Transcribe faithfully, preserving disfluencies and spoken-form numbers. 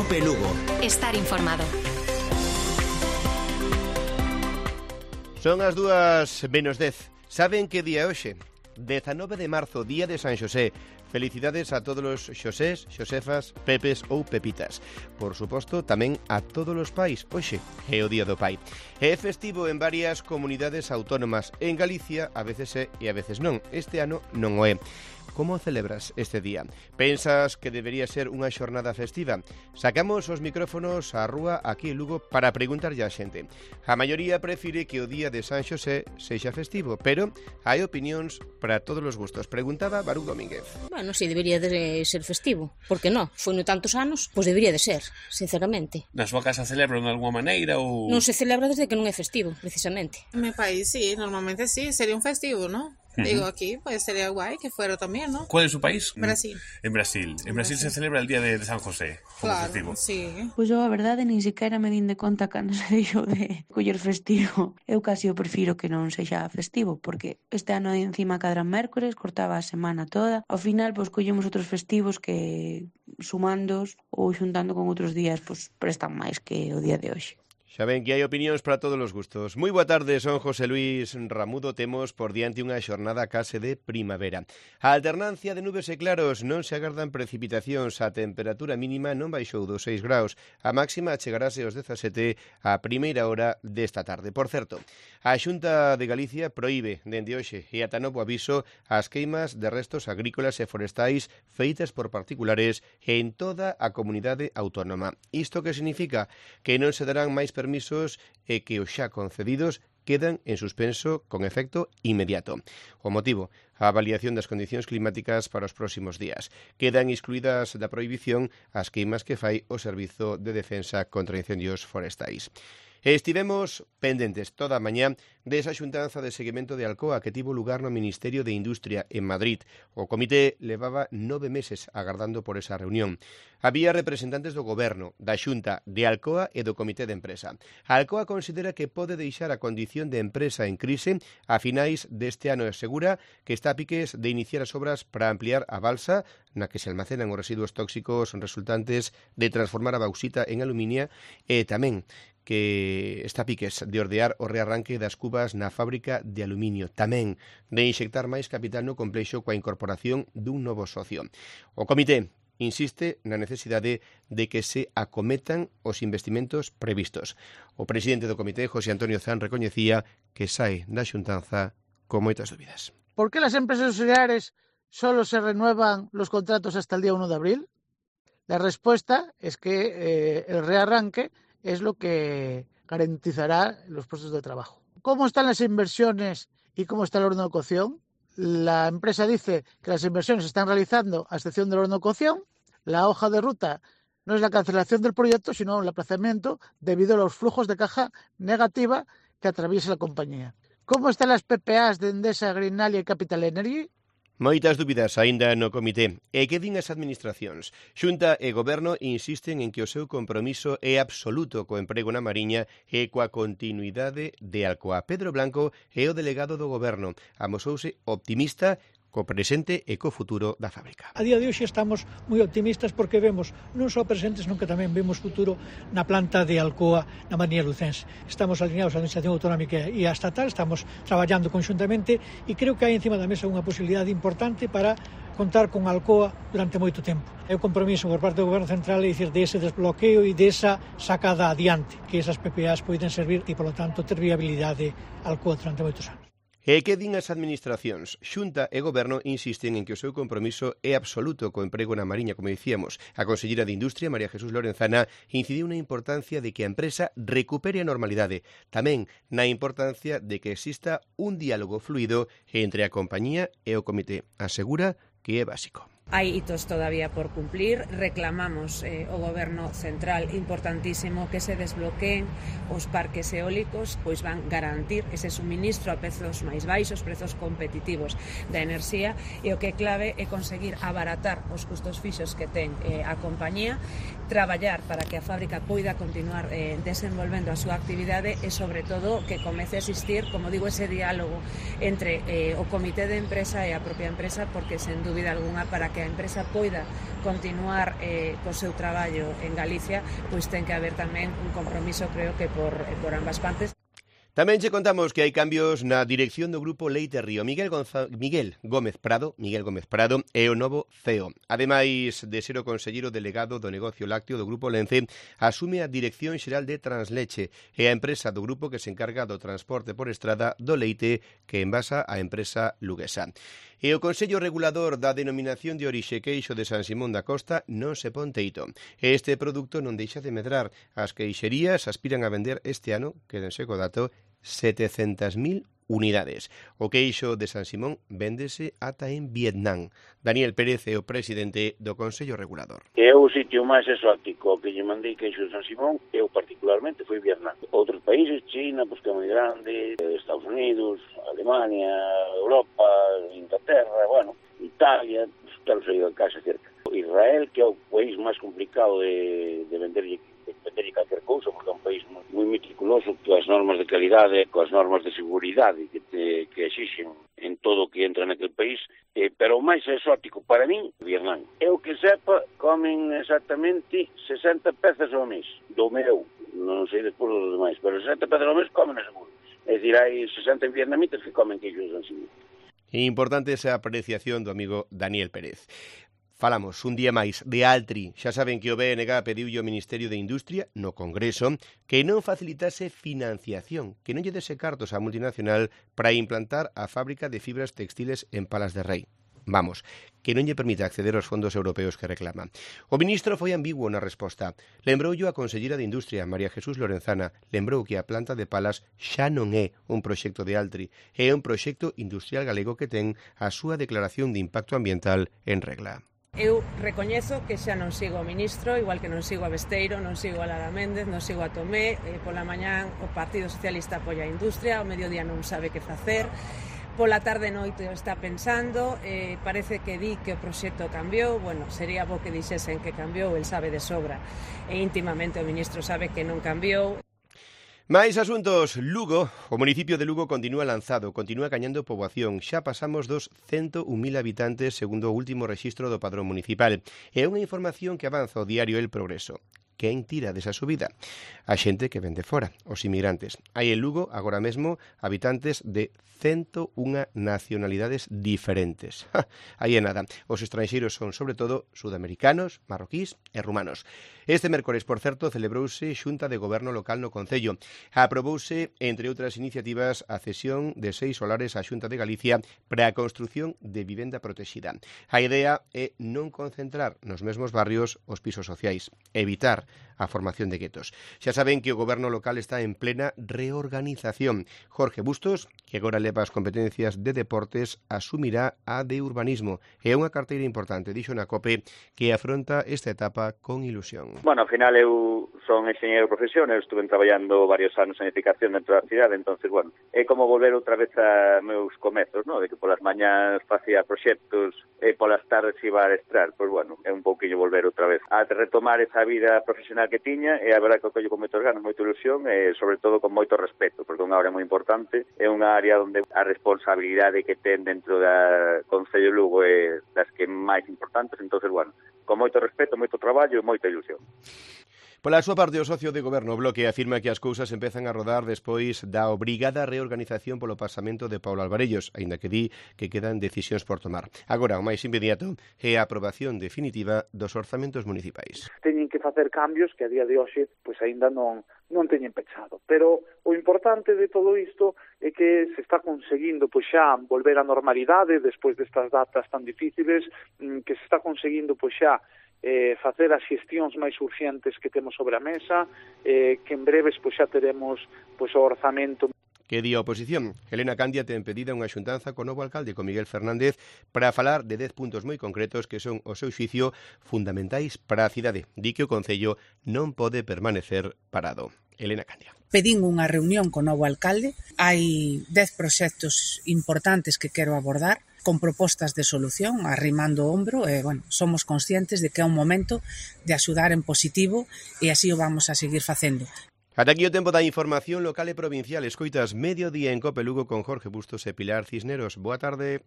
Cope Lugo. Estar informado. Son as dúas menos dez. Saben que día é hoxe? dezanove de marzo, día de San Xosé. Felicidades a todos os Xosés, Xosefas, Pepes ou Pepitas. Por suposto, tamén a todos os pais. Hoxe é o día do pai. É festivo en varias comunidades autónomas. En Galicia, a veces é e a veces non. Este ano non o é. Como celebras este día? Pensas que debería ser unha xornada festiva? Sacamos os micrófonos á rúa aquí en Lugo para preguntarlle á xente. A maioría prefire que o día de San Xosé sexa festivo, pero hai opinións para todos os gustos. Preguntaba Barú Domínguez. Bueno, si debería de ser festivo. Por que non? Foi no tantos anos, pois debería de ser, sinceramente. Na súa casa celebran de alguma maneira ou... Non se celebra desde que non é festivo, precisamente. En mi país sí, normalmente sí, sería un festivo, ¿no? Uh-huh. Digo, aquí pues sería guay que fuera también, ¿no? ¿Cuál es su país? Brasil. En Brasil. En Brasil, Brasil se celebra el día de, de San José como claro, festivo. Sí. Pois eu, a verdade, nin sequera me din de conta cando se dixo de coller festivo. Eu casi o prefiro que non sexa festivo, porque este ano encima cadran mércores, cortaba a semana toda. Ao final, pois, collemos outros festivos que, sumandos ou xuntando con outros días, pois, prestan máis que o día de hoxe. Xa ven que hai opinións para todos os gustos. Moi boa tarde, son José Luis Ramudo. Temos por diante unha xornada case de primavera. A alternancia de nubes e claros, non se agardan precipitacións. A temperatura mínima non baixou dos seis graus. A máxima chegarase aos dezasete a primeira hora desta tarde. Por certo, a Xunta de Galicia proíbe dende hoxe e ata novo aviso as queimas de restos agrícolas e forestais feitas por particulares en toda a comunidade autónoma. Isto que significa? Que non se darán máis permisos e que os xa concedidos quedan en suspenso con efecto inmediato. O motivo, a avaliación das condicións climáticas para os próximos días. Quedan excluídas da prohibición as queimas que fai o Servizo de Defensa contra Incendios Forestais. Estivemos pendentes toda a mañá desa xuntanza de seguimento de Alcoa que tivo lugar no Ministerio de Industria en Madrid. O comité levaba nove meses agardando por esa reunión. Había representantes do Goberno, da Xunta, de Alcoa e do Comité de Empresa. A Alcoa considera que pode deixar a condición de empresa en crise a finais deste ano e asegura que está a piques de iniciar as obras para ampliar a balsa na que se almacenan os residuos tóxicos resultantes de transformar a bauxita en aluminia e tamén que está a piques de ordear o rearranque das cubas na fábrica de aluminio, tamén de inxectar máis capital no complexo coa incorporación dun novo socio. O comité insiste na necesidade de que se acometan os investimentos previstos. O presidente do comité, José Antonio Zan, recoñecía que sae da xuntanza con moitas dúbidas. ¿Por qué las empresas auxiliares solo se renuevan los contratos hasta el día uno de abril? La respuesta es que eh, el rearranque es lo que garantizará los puestos de trabajo. ¿Cómo están las inversiones y cómo está el orden de cocción? La empresa dice que las inversiones se están realizando a excepción del orden de cocción. La hoja de ruta no es la cancelación del proyecto, sino el aplazamiento debido a los flujos de caja negativa que atraviesa la compañía. ¿Cómo están las P P As de Endesa, Greenalia y Capital Energy? Moitas dúbidas aínda no comité. E que din as administracións? Xunta e Goberno insisten en que o seu compromiso é absoluto co emprego na Mariña e coa continuidade de Alcoa. Pedro Blanco é o delegado do Goberno. Amosouse optimista co presente e co futuro da fábrica. A día de hoxe estamos moi optimistas porque vemos non só presentes, non que tamén vemos futuro na planta de Alcoa na Mariña Lucense. Estamos alineados a Administración Autonómica e a Estatal, estamos traballando conxuntamente e creo que hai encima da mesa unha posibilidade importante para contar con Alcoa durante moito tempo. É o compromiso por parte do Goberno Central é dicir de ese desbloqueo e desa sacada adiante, que esas P P As poden servir e, polo tanto, ter viabilidade Alcoa durante moitos anos. E que din as administracións? Xunta e Goberno insisten en que o seu compromiso é absoluto co emprego na Mariña, como dicíamos. A conselleira de Industria, María Jesús Lorenzana, incidiu na importancia de que a empresa recupere a normalidade. Tamén na importancia de que exista un diálogo fluido entre a compañía e o comité. Asegura que é básico. Hai hitos todavía por cumplir, reclamamos eh, o Goberno Central importantísimo que se desbloqueen os parques eólicos, pois van garantir ese suministro a prezos máis baixos, prezos competitivos da enerxía, e o que é clave é conseguir abaratar os custos fixos que ten eh, a compañía, traballar para que a fábrica poida continuar eh, desenvolvendo a súa actividade e, sobre todo, que comece a existir, como digo, ese diálogo entre eh, o comité de empresa e a propia empresa, porque, sen dúbida alguna, para para que a empresa poida continuar eh, co seu traballo en Galicia, pois ten que haber tamén un compromiso, creo que por, por ambas partes. Tamén che contamos que hai cambios na dirección do Grupo Leite Río. Miguel, Gonza... Miguel Gómez Prado Miguel Gómez Prado é o novo C E O. Ademais de ser o conselleiro delegado do negocio lácteo do Grupo Lence, asume a Dirección Xeral de Transleche e a empresa do grupo que se encarga do transporte por estrada do leite que envasa a empresa luguesa. E o Consello Regulador da Denominación de Orixe Queixo de San Simón da Costa non se pon teito. Este produto non deixa de medrar. As queixerías aspiran a vender este ano, quédense co dato, setecentas mil unidades. O queixo de San Simón véndese ata en Vietnam. Daniel Pérez é o presidente do Consello Regulador. É o sitio máis exótico que lle mandei queixo de San Simón, eu particularmente foi Vietnam. Outros países, China, pues que é moi grande, Estados Unidos, Alemania, Europa, Inglaterra, bueno, Italia, pues, tal sei da casa cerca. Israel, que é o país máis complicado de, de venderlle vender calquer cousa, porque é un país moi meticuloso coas normas de calidade, coas normas de seguridade que, te, que exixen en todo o que entra naquele país, eh, pero o máis exótico para min, Vietnam. Eu que sepa, comen exactamente sesenta pezas ao mes, do meu, non sei despois dos demais, pero sesenta pezas ao mes comen seguro. É dicir, hai sesenta vietnamitas que comen queixo de San Simón. Importante esa apreciación do amigo Daniel Pérez. Falamos un día máis de Altri. Xa saben que o B N G pediulle ao Ministerio de Industria no Congreso que non facilitase financiación, que non lle dese cartos á multinacional para implantar a fábrica de fibras textiles en Palas de Rei. Vamos, que non lle permite acceder aos fondos europeos que reclama. O ministro foi ambiguo na resposta. Lembroulle a consellera de Industria, María Jesús Lorenzana, lembrou que a planta de Palas xa non é un proxecto de Altri, é un proxecto industrial galego que ten a súa declaración de impacto ambiental en regla. Eu recoñezo que xa non sigo o ministro, igual que non sigo a Besteiro, non sigo a Lara Méndez, non sigo a Tomé, eh, pola mañán o Partido Socialista apoia a industria, ao mediodía non sabe que facer, pola tarde noite o está pensando, eh, parece que di que o proxecto cambiou, bueno, sería bo que dixesen que cambiou, el sabe de sobra, e íntimamente o ministro sabe que non cambiou. Máis asuntos. Lugo, o municipio de Lugo continúa lanzado, continúa cañando poboación. Xa pasamos dos cento un mil habitantes segundo o último rexistro do Padrón Municipal. É unha información que avanza o diario El Progreso. Quen tira desa subida? A xente que vende fora, os inmigrantes. Hai en Lugo, agora mesmo, habitantes de cento unha nacionalidades diferentes. Ja, aí é nada. Os estranxeiros son, sobre todo, sudamericanos, marroquís e rumanos. Este mércores, por certo, celebrouse Xunta de Goberno Local no Concello. Aprobouse, entre outras iniciativas, a cesión de seis solares á Xunta de Galicia para a construción de vivenda protexida. A idea é non concentrar nos mesmos barrios os pisos sociais, evitar a formación de guetos. Xa saben que o goberno local está en plena reorganización. Jorge Bustos, que agora leva as competencias de deportes, asumirá a de urbanismo. É unha carteira importante, dixo na COPE, que afronta esta etapa con ilusión. Bueno, ao final eu son enxeñeiro de profesión, eu estuve traballando varios anos en edificación dentro da cidade, entonces, bueno, é como volver outra vez a meus comezos, ¿no? De que polas mañás facía proxectos e polas tardes iba a estrar, pois, bueno, é un pouquinho volver outra vez a retomar esa vida profesional que tiña, e a verdade que o collo con moitos ganas, moita ilusión e, sobre todo, con moito respeto, porque é unha área moi importante, é unha área onde a responsabilidade que ten dentro da Concello de Lugo é das que máis importantes, entonces, bueno, con moito respeto, moito traballo e moita ilusión. Pola súa parte, o socio de goberno Bloque afirma que as cousas empezan a rodar despois da obrigada reorganización polo pasamento de Paulo Alvarellos, aínda que di que quedan decisións por tomar. Agora, o máis inmediato é a aprobación definitiva dos orzamentos municipais. Teñen que facer cambios que a día de hoxe pois aínda non non teñen pechado, pero o importante de todo isto é que se está conseguindo pois xa volver á normalidade despois destas datas tan difíciles, que se está conseguindo pois xa eh, facer as xestións máis urxentes que temos sobre a mesa, eh, que en breves pois xa teremos pois o orzamento. Que di a oposición? Elena Candia ten pedida unha xuntanza co novo alcalde, con Miguel Fernández, para falar de dez puntos moi concretos que son, o seu xuicio, fundamentais para a cidade. Di que o Concello non pode permanecer parado. Elena Candia. Pedín unha reunión co novo alcalde. Hai dez proxectos importantes que quero abordar, con propostas de solución, arrimando o ombro, e, bueno, somos conscientes de que é un momento de axudar en positivo e así o vamos a seguir facendo. Ata aquí o tempo da información local e provincial. Escoitas Mediodía en Cope Lugo con Jorge Bustos e Pilar Cisneros. Boa tarde.